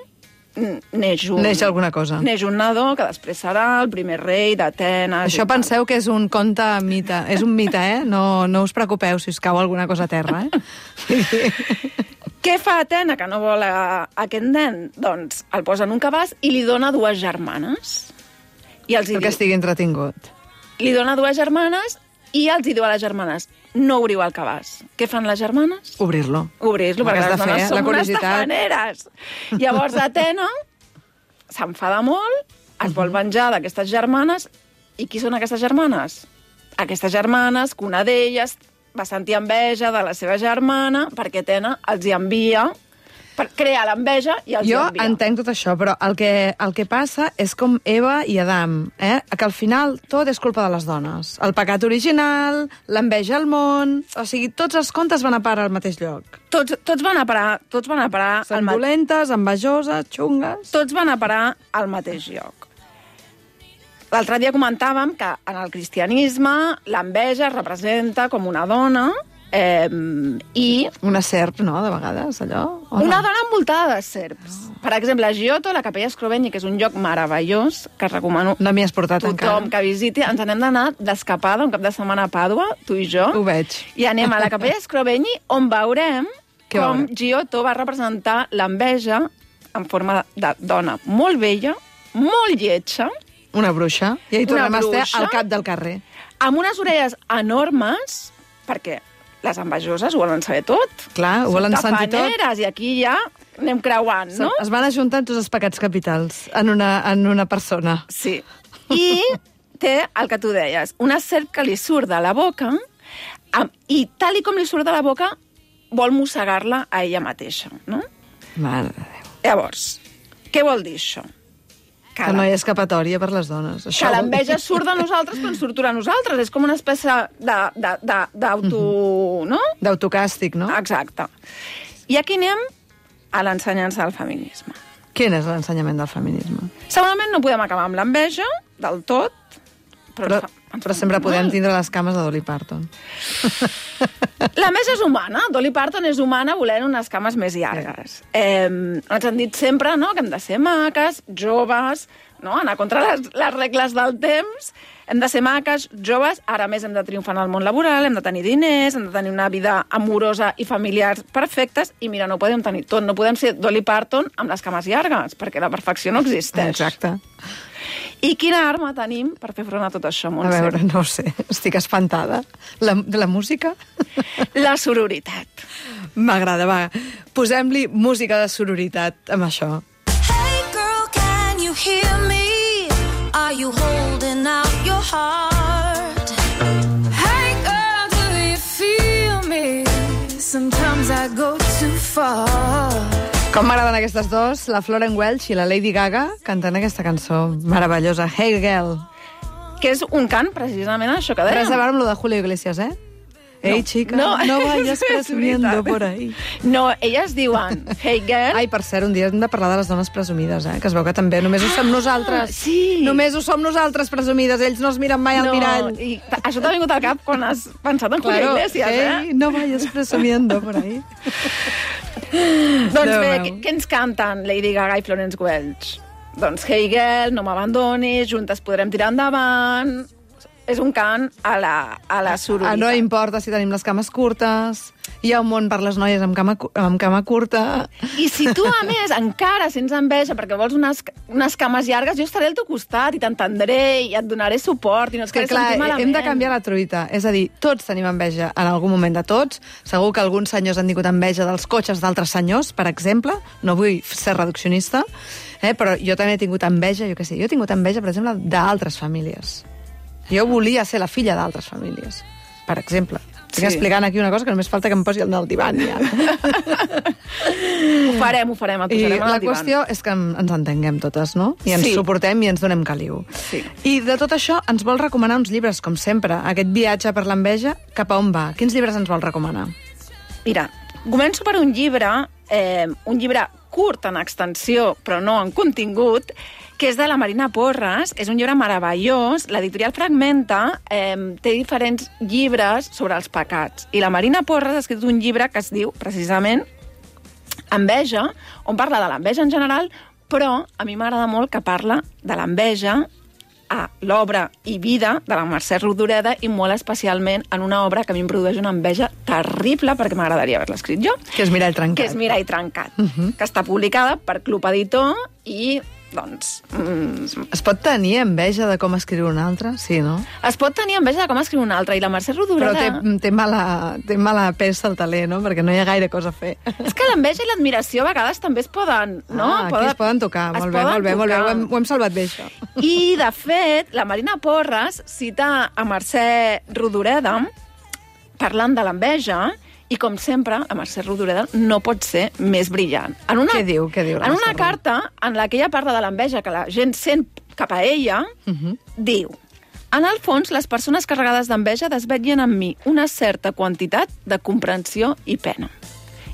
Neix alguna cosa. Neix un nadó que després serà el primer rei d'Atenes. Això penseu que és un conte mite. És un mite, No us preocupeu si us cau alguna cosa a terra, Què fa Atena, que no vol aquest nen? Doncs el posa en un cabàs i li dona 2 germanes. I els perquè estigui entretingut. Li dona 2 germanes i els diu a les germanes: no obriu el cabàs. Què fan les germanes? Obrir-lo. Obrir-lo, perquè les dones són unes tafaneres. Llavors Atena s'enfada molt, es vol venjar d'aquestes germanes. I qui són aquestes germanes? Aquestes germanes, que una d'elles va sentir enveja de la seva germana perquè Atena els hi envia, per crear l'enveja i els hi envia. Jo entenc tot això, però el que passa és com Eva i Adam, que al final tot és culpa de les dones. El pecat original, l'enveja al món... O sigui, tots els contes van a parar al mateix lloc. Tots van a parar... Són dolentes, envejoses, xungues... Tots van a parar al mateix lloc. L'altre dia comentàvem que en el cristianisme l'enveja es representa com una dona i... Una serp, no?, de vegades, allò? Una dona envoltada de serps. Per exemple, a Giotto, la Capella Scrovegni, que és un lloc meravellós, que recomano no m'hi has portat tothom que visiti. Ens n'hem d'anar d'escapada un cap de setmana a Pàdua, tu i jo. Ho veig. I anem a la Capella Scrovegni, on veurem com Giotto va representar l'enveja en forma de dona molt vella, molt lletja. Una bruixa. I ahí tornem a estar al cap del carrer. Amb unes orelles enormes, perquè les envejoses ho volen saber tot. Clar, ho volen sentir tot. I aquí ja anem creuant, no? Es van ajuntant tots els pecats capitals en una persona. Sí. I té el que tu deies, una serp que li surt de la boca i tal com li surt de la boca vol mossegar-la a ella mateixa, no? Mare de Déu. Llavors, què vol dir això? Que no hi ha escapatòria per les dones. Que l'enveja surt de nosaltres quan surt a nosaltres. És com una espècie d'auto... no? D'autocàstig, no? Exacte. I aquí anem a l'ensenyança del feminisme. Quin és l'ensenyament del feminisme? Segurament no podem acabar amb l'enveja del tot, però sempre podem tindre les cames de Dolly Parton. L'enveja és humana. Dolly Parton és humana volent unes cames més llargues. Ens han dit sempre, no?, que hem de ser maques, joves, no?, anar contra les regles del temps. Hem de ser maques, joves, ara més hem de triomfar en el món laboral, hem de tenir diners, hem de tenir una vida amorosa i familiar perfectes, i mira, no podem tenir tot. No podem ser Dolly Parton amb les cames llargues, perquè la perfecció no existeix. Exacte. I quina arma tenim per fer front a tot això, Montse? A veure, no ho sé, estic espantada. De la música? La sororitat. M'agrada, va. Posem-li música de sororitat amb això. Hey girl, can you hear me? Are you holding out your heart? Hey girl, do you feel me? Sometimes I go too far. Com m'agraden aquestes dos, la Florence Welch i la Lady Gaga, cantant aquesta cançó meravellosa, Hey Girl. Que és un cant, precisament, això que dèiem. Res a veure amb lo de Julio Iglesias, eh? Ei, chica, no vayas presumiendo por ahí. No, elles diuen Hey Girl. Ai, per cert, un dia hem de parlar de les dones presumides, que es veu que també només ho som nosaltres. Sí. Només ho som nosaltres presumides, ells no es miren mai al mirall. I això t'ha vingut al cap quan has pensat en Julio Iglesias, hey, no vayas presumiendo por ahí. Doncs bé, què ens canten Lady Gaga i Florence Welch? Doncs Hey Girl, no m'abandonis, juntes podrem tirar endavant. És un cant a la sororitat. No importa si tenim les cames curtes, hi ha un món per les noies amb cama curta. I si tu, a més, encara sents enveja perquè vols unes cames llargues, jo estaré al teu costat i t'entendré i et donaré suport i no et faré sentir malament. Hem de canviar la truita. És a dir, tots tenim enveja en algun moment de tots. Segur que alguns senyors han tingut enveja dels cotxes d'altres senyors, per exemple. No vull ser reduccionista, però jo també he tingut enveja, jo he tingut enveja, per exemple, d'altres famílies. Jo volia ser la filla d'altres famílies, per exemple. Estic explicant aquí una cosa que només falta que em posi al divan, ja. Ho farem, et posarem al divan. I la qüestió és que ens entenguem totes, no? I ens suportem i ens donem caliu. Sí. I de tot això ens vol recomanar uns llibres, com sempre. Aquest viatge per l'enveja, cap a on va? Quins llibres ens vol recomanar? Mira, començo per un llibre curt en extensió, però no en contingut, que és de la Marina Porras. És un llibre meravellós. L'editorial Fragmenta té diferents llibres sobre els pecats. I la Marina Porras ha escrit un llibre que es diu, precisament, Enveja, on parla de l'enveja en general, Però a mi m'agrada molt que parla de l'enveja a l'obra i vida de la Mercè Rodoreda i molt especialment en una obra que a mi em produeix una enveja terrible perquè m'agradaria haver-la escrit jo. Que és Mirall trencat. Que és Mirall trencat, que està publicada per Club Editor i doncs... Es pot tenir enveja de com escriure un altre? Sí, no? Es pot tenir enveja de com escriure un altre, i la Mercè Rodoreda... Però té mala peça al taler, no? Perquè no hi ha gaire cosa a fer. És que l'enveja i l'admiració a vegades també es poden... No? Aquí es poden tocar. Molt bé. Ho hem salvat bé, això. I, de fet, la Marina Porres cita a Mercè Rodoreda parlant de l'enveja i, com sempre, la Mercè Rodoreda no pot ser més brillant. Què diu? En una carta en la que ella parla de l'enveja que la gent sent cap a ella, diu: en el fons, les persones carregades d'enveja desvetllen en mi una certa quantitat de comprensió i pena.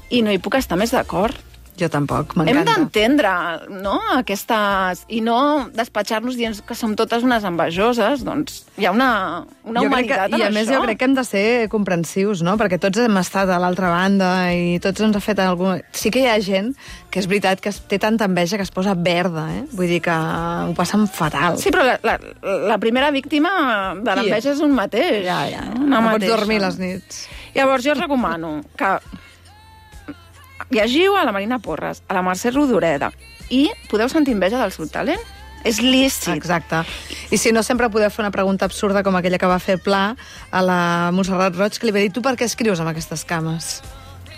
I no hi puc estar més d'acord. Jo tampoc, m'encanta. Hem d'entendre, no?, aquestes... I no despatxar-nos dient que som totes unes envejoses, doncs hi ha una humanitat en això. I a més jo crec que hem de ser comprensius, no?, perquè tots hem estat a l'altra banda i tots ens ha fet alguna... Sí que hi ha gent que és veritat que té tanta enveja que es posa verda, Vull dir que ho passen fatal. Sí, però la primera víctima de l'enveja és un mateix. Ja. No pots dormir les nits. Llavors jo recomano que llegiu a la Marina Porres, a la Mercè Rodoreda, i podeu sentir enveja del seu talent. És lícit. Exacte. I si no, sempre podeu fer una pregunta absurda com aquella que va fer Pla a la Montserrat Roig, que li va dir: tu per què escrius amb aquestes cames?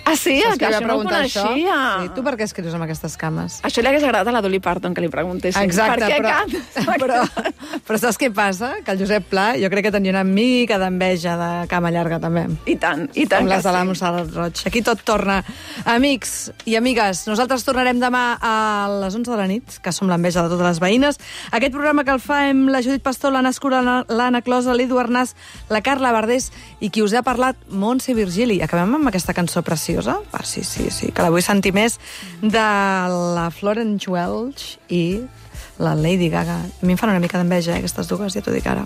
Ah, sí? Saps Que això no ho coneixia. Sí, tu per què escrius amb aquestes cames? Això li hagués agradat a la Dolly Parton, que li preguntessin. Exacte, per què però saps què passa? Que el Josep Pla jo crec que tenia una mica d'enveja de cama llarga, també. I tant com les de la Montserrat Roig. Aquí tot torna. Amics i amigues, nosaltres tornarem demà a les 11 de la nit, que som l'enveja de totes les veïnes. Aquest programa que el fa amb la Judit Pastor, l'Anna Escura, l'Anna Closa, l'Edu Arnàs, la Carla Verdés i qui us ha parlat, Montse Virgili. Acabem amb aquesta cançó preciosa. Sí, que la vull sentir més, de la Florence Welch i la Lady Gaga. A mi em fan una mica d'enveja, aquestes dues, ja t'ho dic ara.